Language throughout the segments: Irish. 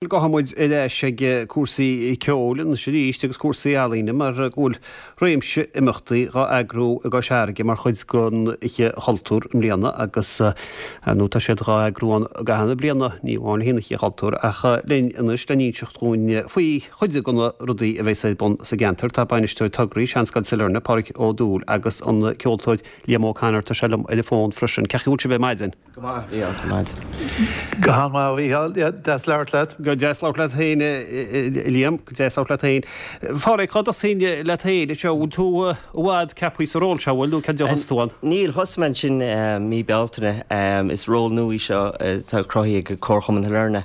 Gabhfaidh muid ar ais ag cúrsaí ceoil anois arís agus cúrsaí ealaíne mar go bhfuil réimse imeachtaí dhá eagrú i gCois Fharraige mar chuid den Oíche Chultúir i mbliana agus ar ndóigh tá siad dhá eagrú ann i gcaitheamh na bliana, ní amháin le haghaidh an Oíche Chultúir ach linn anois le n-inseacht dhúinn faoi chuid de na rudaí a bheas ar bun sa gceantar tá Bainisteoir Tograí Seanscoil Sailearna, Páraic Ó Dúill agus an ceoltóir Liam O'Connor, tá sé liom ar an bhfón freisin. Cén chaoi a bhfuil sibh ar maidin? Go maith, a Mhícheáil, go maith. Go han-mhaith, a Mhícheáil. Deas labhairt leat. Go deas labhairt leat féin, a Liam. Go deas labhairt leat féin. A Pháraic, cá dtosóinn leat féin anseo? Bhfuil tú i bhfad ceaptha sa ról seo, bhfuil, nó cén dóigh a thosaigh tú ann? Níl, thosaigh mé ansin mí Bealtaine. Is ról nua í seo atá cruthaithe ag Comharchumann Shailearna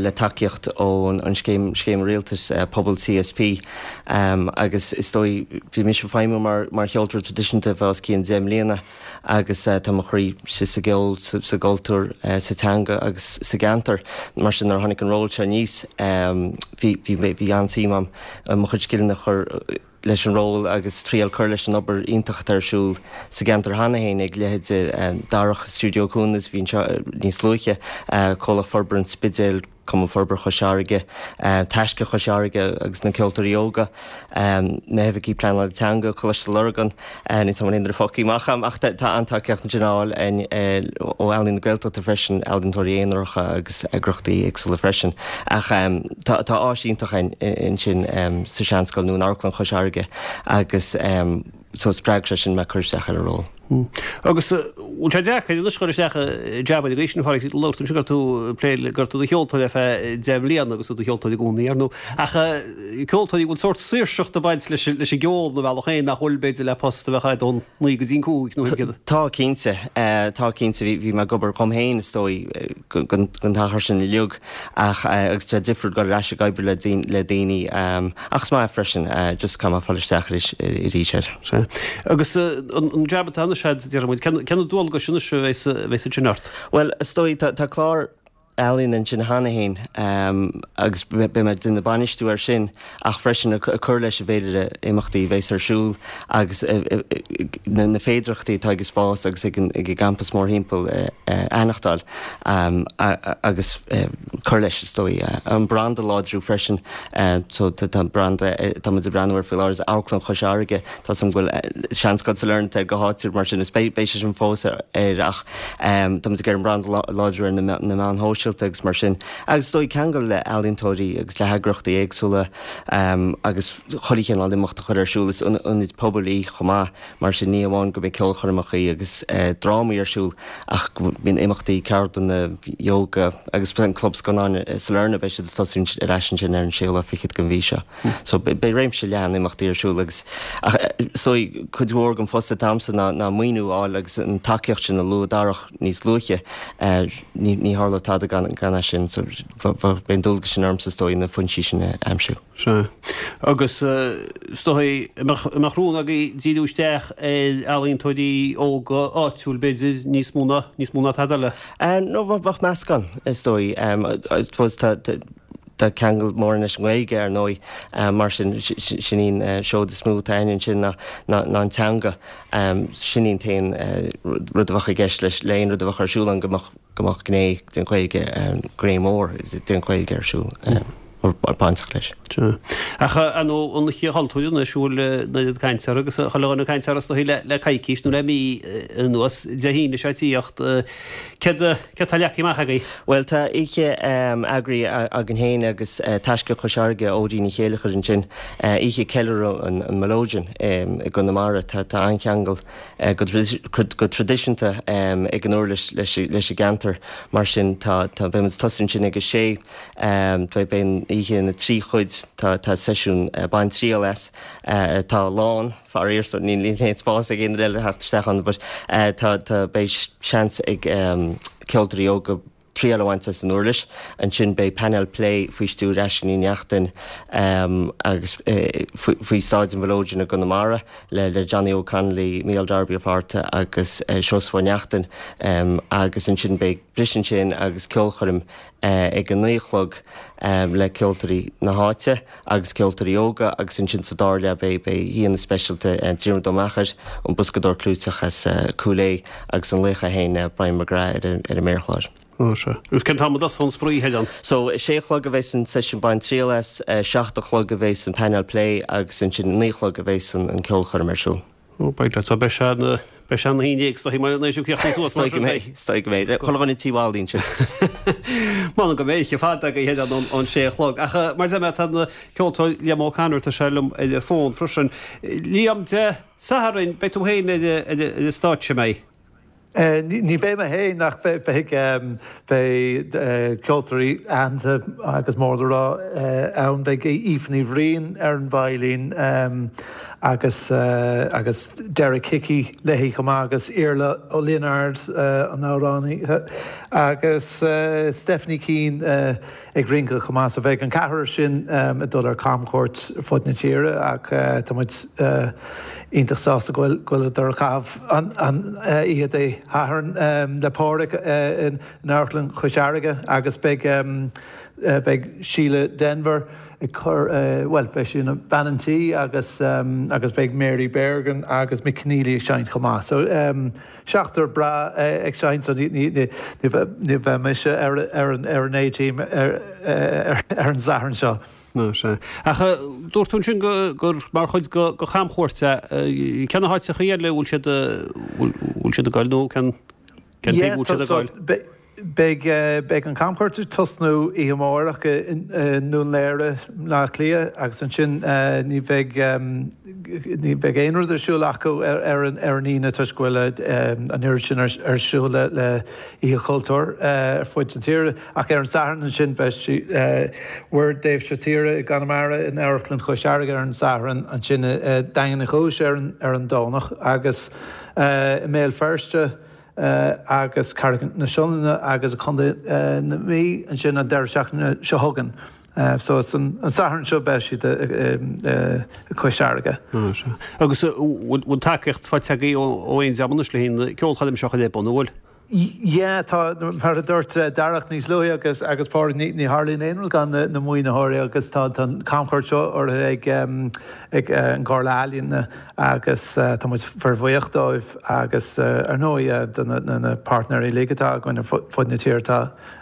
le tacaíocht ón scéim, scéim rialtais Pobal CSP. Agus is dóigh, bhí mise ag feidhmiú mar cheoltóir traidisiúnta ar feadh os cionn 10 mbliana. agus tá mo chroí sa gceol, sa gcultúr, sa teanga agus sa gceantar. Mar sin nuair a tháinig an ról seo aníos bhí bhí an-suim agam mo chuid scileanna a chur leis an ról agus triail cur leis an obair iontach atá ar siúl sa gceantar cheana féin ag leithéide Darach Stiúideo Cuanas a bhí anseo níos luaithe, Comhlacht Forbartha an Spidéil, Cumann Forbartha Chois Fharraige, Taisce Chois Fharraige agus na Ceoltóirí Óga, na hOifigigh Pleanála Teanga, Coláiste Lurgan, níl 's agam an bhfuil fágtha amach agam ach tá an-tacaíocht ansin á fháil ó Ealaín na Gaeltachta freisin, ealaíontóirí aonaracha agus eagraíochtaí éagsúla freisin. Ach tá áis iontach ansin sa Seanscoil nó in Amharclann Chois Fharraige agus so spreag sé sin mé cur isteach ar an ról. Agus bhfuil sé deacair anois cur isteach i jab ar an gcaoi sin, a Pháraic, labhair tú ansin go raibh tú ag plé le, go raibh tú i do cheoltóir ar feadh 10 mbliana agus tú i do cheoltóir i gcónaí, ar ndóigh. Ach ceoltóirí, bhfuil sórt saoirseacht ag baint leis an gceol ar bhealach féin nach bhfuil, b'fhéidir, le post a bheadh agat ón naoi go dtí an cúig nó céard? Tá, cinnte. Tá, cinnte. Bhí mé ag obair dhom féin, is dóigh, don t-achar sin uilig. Ach, agus tá sé difriúil dul ar ais ag oibriú le le daoine, ach is maith é freisin, just caithfidh mé fáil isteach arís arís air. Sea. Agus an jab atá anois agat, déarfaidh muid, cé na dualgais anois a bheas a bheas ansin ort? Bhuel, is dóigh, tá tá clár ealaíon ansin cheana féin agus beidh mé ag déanamh bainistiú air sin ach freisin ag cur leis an bhféilire imeachtaí a bheas ar siúl agus na féidearthachtaí atá ag an spás agus ag an gcampas mórthimpeall a aithneachtáil agus cur leis, is dóigh. An branda a láidriú freisin. So tá an branda, tá muid ag breathnú air faoi láthair, is Amharclann Chois Fharraige. Tá 's agam go bhfuil Seanscoil Sailearna air go háitiúil mar sin is beidh sé sin fós air ach tá muid ag iarraidh an branda a láidriú ar na meáin shóisialta agus mar sin. Agus is dóigh ceangal le ealaíontóirí agus le heagraíochtaí éagsúla agus chuile chineál imeacht a chur ar siúl. Is ionad pobail í chomh maith. Mar sin, ní hamháin go mbeidh ceolchoirmeacha agus drámaí ar siúl ach go mbíonn imeachtaí, ceardlanna, ióga agus an Club Scannáin Sailearna, beidh siad ag tosú ar ais ansin ar an séú lá fichead den mhí seo. So beidh réimse leathan imeachtaí ar siúl agus ach is dóigh cuid mhór den phost atá agamsa ná ná maoiniú a fháil agus an tacaíocht sin a luaigh Darach níos luaithe, ní ní tharlódh tada gan gan é sin so beidh an dualgas sin ormsa is dóigh na foinsí sin a aimsiú. Sea. Agus is dóigh, an mbeadh rún agaibh díriú isteach ar ealaíontóirí óga áitiúil, b'fhéidir, níos mó ná, níos mó ná tada eile? No, bheadh meascán, is dóigh. I suppose tá, tá ceangal mór leis an nGaeilge, ar ndóigh, mar sin, sin í an seoid is mó atá againn ansin ná, ná, ná an teanga. Sin í an t-aon rud a bheadh i gceist leis, le aon rud a bheadh ar siúl ann go mbeadh, go mbeadh gné den Ghaeilge, gné mhór den Ghaeilge ar siúl, bainteach leis. Sea. Ach ar ndóigh an Oíche Chultúir anois, bhfuil an oiread cainte uirthi agus chuile dhuine ag caint uirthi is dóigh le coicís nó le mí anuas, Dé hAoine seo ag tíocht, céard céard tá leagtha amach agaibh? Bhuel tá oíche eagraithe againn féin agus Taisce Chois Fharraige, Aedín Ní Chéileachair ansin, oíche ceiliúradh an Melodeon i gConamara. Tá an-cheangal go traidisiúnta ag an uirlis leis an gceantar. Mar sin tá, beidh muid ag tosú ansin ag a sé, beidh an oíche ina trí chuid, tá seisiún bain triail as, atá lán, faraor, so níl aon spás ag aon duine eile theacht isteach ann but tá, beidh seans ag ceoltóirí óga triail a bhaint as an uirlis. Ansin beidh painéal plé faoi stiúir Aisling Ní Neachtain agus faoi staid an mhelodeon i gConamara le Johnny Óg Connolly, Mícheál Darby Ó Fátharta agus Seosamh Ó Neachtain agus ansin beidh briseadh ansin agus ceolchoirm ag a 9 a chlog le ceoltóirí na háite agus ceoltóirí óga agus ansin sa dara leath beidh aíonna speisialta Diarmuid Ó Meachair, an boscadóir clúiteach as Cúil Aodha agus an laoch é féin Brian McGrath ar an méarchlár. Ó sea. Agus cén t-am a dtosóidh an spraoi, a Sheilean? So, a sé a chlog a bheas an seisiún Bain Triail As, 7 a chlog a bheas an painéal plé agus ansin 9 a chlog a bheas an ceolchoirm ar siúl. Ó, beidh leat. So, beidh sé ina, beidh sé ina haon déag is dóigh mar an éis críochnaí suas mar sin. Is dóigh go mbeidh, is dóigh go mbeidh. Chuile dhuine tí Wally ansin. M'anam go mbeidh oíche fada agaibh a Sheilean ón sé a chlog. Ach mar a deir mé, tá an ceoltóir Liam O'Connor, tá sé liom ar an bhfón freisin. Liam, Dé Sathairn, beidh tú féin ar an stáitse, an mbeidh? Ní bheidh mé féin ach beidh beidh ceoltóirí aitheanta agus mór le rá ann. Beidh Aoife Ní Bhriain ar an veidhlín agus agus Derek Hickey léi chomh maith agus Iarla Ó Lionáird an amhránaí agus Stephanie Keane ag rince chomh maith. So beidh an ceathrar sin ag dul ar camchuairt ar fud na tíre ach tá muid iontach sásta go bhfuil go bhfuileadar ag caitheamh an oíche Dé Sathairn le Páraic in Amharclann Chois Fharraige agus beidh beidh Síle Denvir ag cur bhuel beidh sí ina bean an tí agus agus beidh Mary Bergin agus Mick Conneely ag seinnt chomh maith. So Seachtar breá ag seinnt so ní bheidh mise ar an A-team ar an Satharn seo. Ná sea. Ach dúirt tú ansin gur mar chuid de chamchuairt é. Cé na háiteacha eile a bhfuil siad bhfuil siad ag goil nó cén taobh a bhfuil siad ag goil? Beidh beidh an camchuairt ag tosnú oíche amárach i nDún Laoghaire, Baile Átha Cliath agus ansin ní bheidh ní bheidh aon rud ar siúl acu ar an ar an Aoine toisc go bhfuil an oiread sin ar siúl le le Oíche Chultúir ar fud na tíre. Ach ar an Satharn ansin beidh Muir Damhsa Tíre i gConamara in Amharclann Chois Fharraige ar an Satharn, ansin i Daingean Uí Chúis ar an ar an Domhnach agus i mBéal Feirste agus Carraig na Sionainne agus i gContae na Mí ansin an deireadh seachtaine seo chugainn. So it's an Satharn seo beidh siad i Cois Fharraige. Agus bhfuil tacaíocht faighte agaibh ó aon dream anois le haghaidh na ceolchoirme seo a chur ar bun, an bhfuil? Yeah, tá, mar a dúirt Darach níos luaithe agus agus Pádraig, ní ní tharlaíonn aon rud gan na na maoinitheoirí agus tá tá an camchuairt seo urraithe ag ag an gComhairle Ealaíon agus tá muid fíorbhuíoch dóibh agus ar ndóigh do na páirtnéirí uilig atá againn ar fud na tíre tá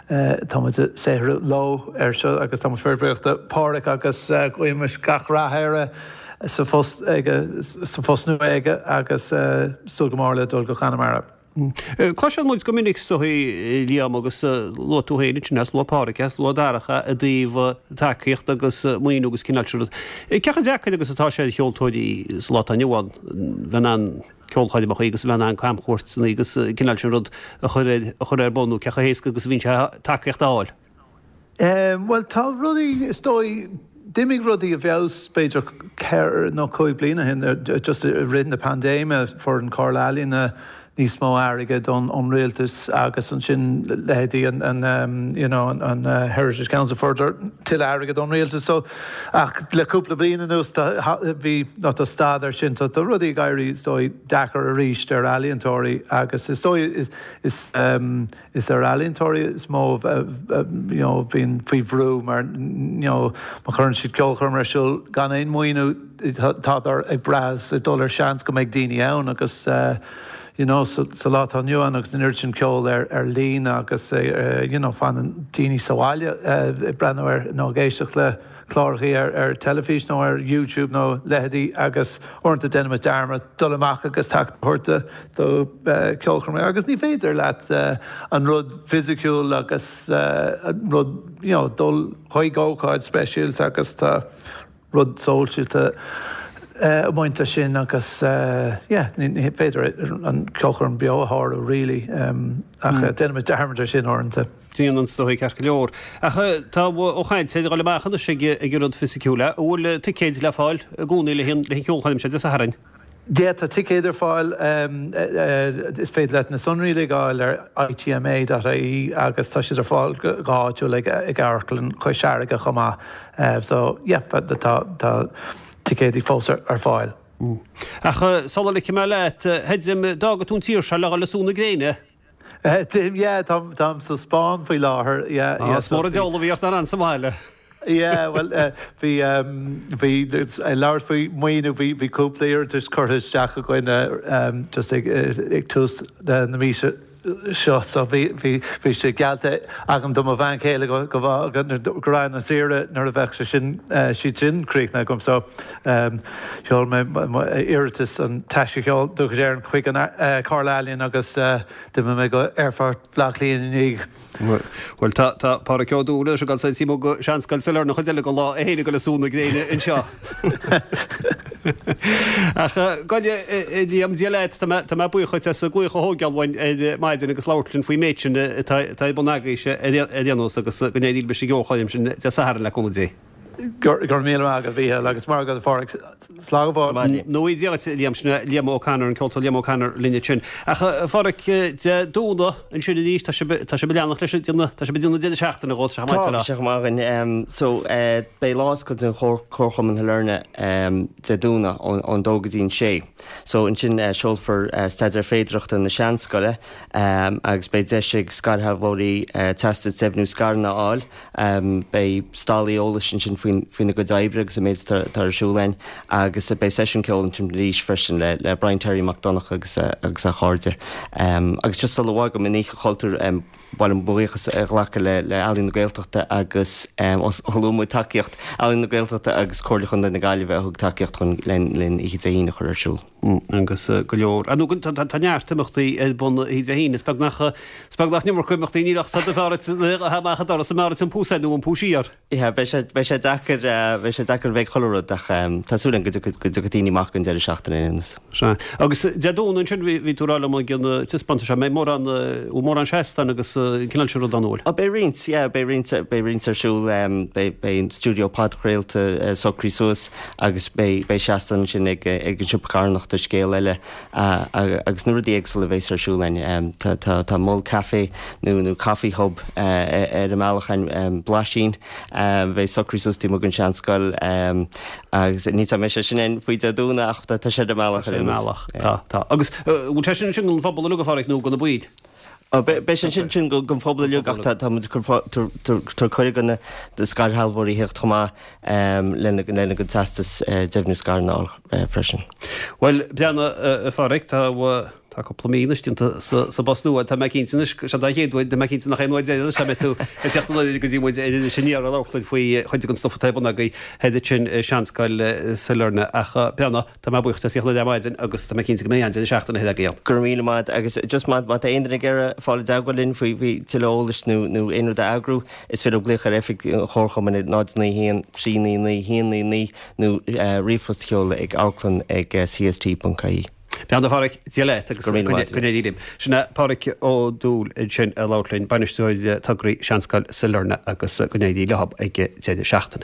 tá muid ag saothrú leo ar seo agus tá muid fíorbhuíoch do Pháraic agus guímis gach rath air sa phost aige sa phost nua aige agus súil go mór le dul go Conamara. Cloiseann muid go minic is dóigh, Liam, agus luaigh tú féin ansin is luaigh Páraic is luaigh Darach i dtaobh tacaíocht agus maoiniú agus cineál sin rud. Cé chomh deacair agus atá sé ar cheoltóirí sa lá atá inniu ann bheith in ann ceolchoirmeacha agus bheith in ann camchuairteanna agus cineál sin rud a chur ar a chur ar bun nó cé chomh héasca agus a bhíonn sé tacaíocht a fháil? Bhuel, tá rudaí, is dóigh, d'imigh rudaí i bhfeabhas b'fhéidir ceithre nó cúig bliana ó shin, just i rith na paindéime, fuair an Chomhairle Ealaíona níos mó airgid ón rialtas agus ansin leithéidí an, you know, an Heritage Council fuaireadar tuilleadh airgid ón rialtas. So, ach le cúpla bliain anuas tá, bhí, nó tá stad air sin, so tá rudaí ag éirí, is dóigh, deacair arís ar ealaíontóirí agus is dóigh is, is, Is ar ealaíontóirí is mó a bhíonn faoi bhrú mar you know má chuireann siad ceolchoirm ar siúl gan aon mhaoiniú tádar ag brath is ag dul ar seans go mbeidh daoine ann agus you know sa lá atá inniu ann agus an oiread sin ceol ar ar líne agus you know fanann daoine sa bhaile ag breathnú ar nó ag éisteacht le clárachaí ar teilifís nó ar YouTube nó leithéidí agus uaireanta déanaimid dearmad dul amach agus tacaíocht a thabhairt do cheolchoirmeacha agus ní féidir leat an rud fisiciúil agus an rud you know dul chuig ócáid speisialta agus tá rud sóisialta ag baint leis sin agus yeah ní féidir an ceolchoirm beo a shárú really ach déanaimid dearmad ar sin uaireanta. Déanann is dóigh, ceart go leor. Ach tá an chaint ar dhul amach anois ag an rud fisiciúil. An bhfuil ticéid le fáil i gcónaí le haghaidh an cheolchoirm seo Dé Sathairn? Yeah, tá ticéid ar fáil. Is féidir leat na sonraí uilig a fháil ar ITMA.ie agus tá siad ar fáil go háitiúil ag Amharclann Chois Fharraige chomh maith. So, yeah, tá ticéidí fós ar fáil. Ach sula ligfidh mé leat, a Fheidhlim, d'fhága tú an tír seo le dhul ag sú na gréine? Táim, yeah, táim, táim sa Spáinn faoi láthair, yeah, yeah. Is mór an deabhal a bhí ort nach raibh sa mbaile. Yeah, bhuel, bhí, bhí, ag labhairt faoi maoiniú, bhí, bhí cúpla iarratas curtha isteach againn just ag, ag tús na míosa. seo so bhí bhí bhí sé geallta agam do mo bhean chéile go go go raghainn ar saoire nuair a bheadh sé sin siad sin críochnaithe agam so sheol mé iarratas an Taisce Cheoil Dúchais Éireann chuig an Comhairle Ealaíon agus d'imigh mé go Aerfort Bhaile Átha Cliath ina dhiaidh. Bhuel, tá, tá Páraic Ó Dúill anois ag dul taobh amuigh go Seanscoil Sailearna an chuid eile den lá é féin ag dul ag sú na gréine anseo. Ach gabh i leith, a Liam, Dia leat, tá mé, tá mé buíoch dhuit as an glaoch a thógáil uainn ar maidin agus labhairt linn faoin méid sin atá, atá ar bun agaibhse ar aon nós agus go n-éirí libh leis an gceolchoirm sin Dé Sathairn le cúnamh Dé. Go raibh míle maith agat, a Mhícheáil, agus maith agat, a Pháraic. Slán go fóill. Nó Dia duit, Liam, sin é Liam O'Connor, an ceoltóir Liam O'Connor linn ansin. Ach, a Pháraic, Dé Domhnaigh ansin arís, tá sibh, tá sibh ag leanacht leis an déanamh, tá sibh ag déanamh deireadh seachtaine dhó, tá sé chomh maith Tá, tá sé chomh maith againn. So, beidh lá oscailte an Chomharchumann Shailearna Dé Domhnaigh ón dó go dtí an sé. So, ansin seolfar Staidéar Féidearthachta na Seanscoile agus beidh deis ag scairshealbhóirí Teastas Deimhniú Scaireanna a fháil. Beidh stallaí eolais ansin faoina gcuid oibre agus an méid atá ar siúl againn agus beidh seisiún ceoil ansin arís freisin le Brian Terry Mac Donncha agus a chairde. Agus just sula bhfágaim an Oíche Chultúir, ba mhaith liom buíochas a ghlacadh le Ealaín na Gaeltachta agus thug muid tacaíocht, Ealaín na Gaeltachta agus Comhairle Chontae na Gaillimhe a thug tacaíocht chun linn Oíche Dé hAoine a chur ar siúl. Agus go leor. Ar ndóigh, tá neart imeachtaí ar bun oíche Dé hAoine. Is beag nach, is beag nach an iomarca imeachtaí, níl ach sa do bheár amach an doras, an mbeár an pús air nó an pús siar. Yeah, beidh sé, beidh sé deacair, beidh sé deacair a bheith ag chuile rud ach tá súil agam go dtiocfaidh, go dtiocfaidh daoine amach don deireadh seachtaine ar aon nós. Sea. Agus Dé Domhnaigh ansin, bhí, bhí tú ag rá liom ag an taispeántas seo, mbeidh mórán, bhfuil mórán seastán agus an cineál sin rud ann, an bhfuil? Ó, beidh roinnt, yeah, beidh roinnt, beidh roinnt ar siúl, beidh, beidh an stiúideo podchraolta socraithe suas, Agus beidh seastán ansin ag an siopa carthanachta Scéal Eile agus na rudaí éagsúla a bheas ar siúl againn. Tá mol caife nó nó coffee hub ar an mbealach againn, Blaisín, a bheidh socraithe suas taobh amuigh den Seanscoil agus ní tá mbeidh sé sin ann faoi Dé Domhnaigh ach tá sé ar an mbealach ar aon nós. Tá, tá. Agus bhfuil sé sin ansin don phobal uilig a Pháraic nó do na baill? Beidh sé sin sin don phobal uilig ach tá muid ag tabhairt cuireadh do na scairshealbhóirí theacht chomh maith lena gcuid teastas deimhniú scaireanna a fháil freisin. Bhuel, breathnaigh, a Pháraic, tá tá cúpla mí anois déanta sa bpost nua. Tá mé cinnte anois, seo don chéad uair, tá mé cinnte nach é an uair deireanach a mbeidh tú ag teacht anoir go dtí muid ar Iris Aniar ag labhairt linn faoi chuid den stuif atá ar bun agaibh thoir ansin i Seanscoil Sailearna. Ach breathnaigh, Tá mé buíoch as theacht anoir ar maidin agus tá mé cinnte go mbeidh an-deireadh seachtaine thoir agaibh. Go raibh míle maith agus just má tá aon duine ag iarraidh fáil i dteagmháil linn faoi tuilleadh eolais nó nó aon rud a eagrú, is féidir glaoch ar oifig an Chomharchumainn ag 0 9 1 3 9 9 1 9 9 nó ríomhphost a sheoladh ag amharclann ag cst.ie. Breathnaigh, a Pháraic, Dia leat agus Go raibh míle maith go n-éirí libh. Sin é Páraic Ó Dúill ansin ag labhairt linn, Bainisteoir Tograí Seanscoil Sailearna agus go n-éirí leo ag deireadh seachtaine.